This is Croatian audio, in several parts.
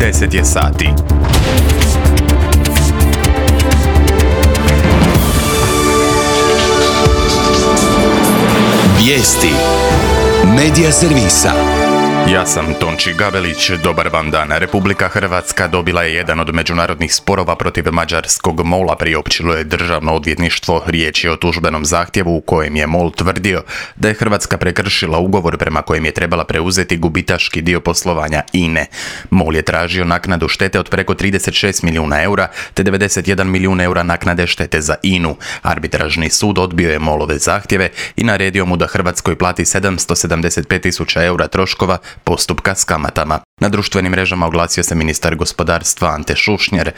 10 je sati. Vijesti Medija servisa. Ja sam Tonči Gavelić, dobar vam dan. Republika Hrvatska dobila je jedan od međunarodnih sporova protiv mađarskog MOL-a, priopćilo je Državno odvjetništvo. Riječ je o tužbenom zahtjevu u kojem je MOL tvrdio da je Hrvatska prekršila ugovor prema kojem je trebala preuzeti gubitaški dio poslovanja INE. MOL je tražio naknadu štete od preko 36 milijuna eura te 91 milijun eura naknade štete za INU. Arbitražni sud odbio je MOL-ove zahtjeve i naredio mu da Hrvatskoj plati 775.000 eura troškova postupka s kamatama. Na društvenim mrežama oglasio se ministar gospodarstva Ante Šušnjar.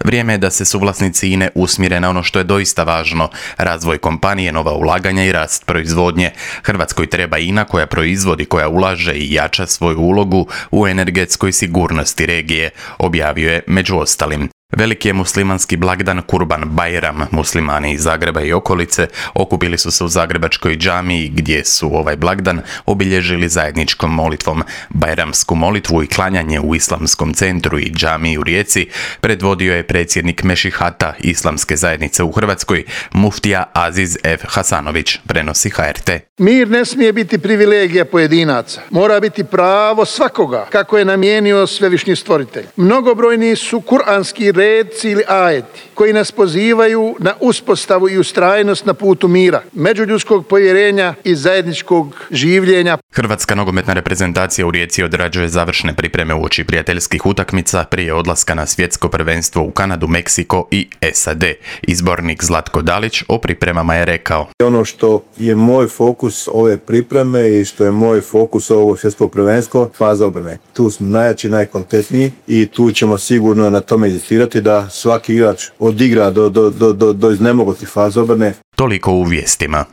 Vrijeme je da se suvlasnici INE usmjere na ono što je doista važno: razvoj kompanije, nova ulaganja i rast proizvodnje. Hrvatskoj treba INA koja proizvodi, koja ulaže i jača svoju ulogu u energetskoj sigurnosti regije, objavio je među ostalim. Veliki je muslimanski blagdan Kurban Bajram. Muslimani iz Zagreba i okolice okupili su se u zagrebačkoj džamiji gdje su ovaj blagdan obilježili zajedničkom molitvom. Bajramsku molitvu i klanjanje u Islamskom centru i džamiji u Rijeci predvodio je predsjednik Mešihata Islamske zajednice u Hrvatskoj, muftija Aziz F. Hasanović, prenosi HRT. Mir ne smije biti privilegija pojedinaca, mora biti pravo svakoga, kako je namijenio svevišnji stvoritelj. Mnogobrojni su kuranski redci ili ajeti koji nas pozivaju na uspostavu i ustrajnost na putu mira, međuljudskog povjerenja i zajedničkog življenja. Hrvatska nogometna reprezentacija u Rijeci odrađuje završne pripreme uoči prijateljskih utakmica prije odlaska na svjetsko prvenstvo u Kanadu, Meksiko i SAD. Izbornik Zlatko Dalić o pripremama je rekao: ono što je moj fokus ove pripreme i što je moj fokus ovog svjetskog prvenstva, faza obrane. Tu smo najjači, najkvalitetniji i tu ćemo sigurno na tome inzistirati da svaki igrač odigra do iznemoglosti faze obrane. Toliko u vijestima.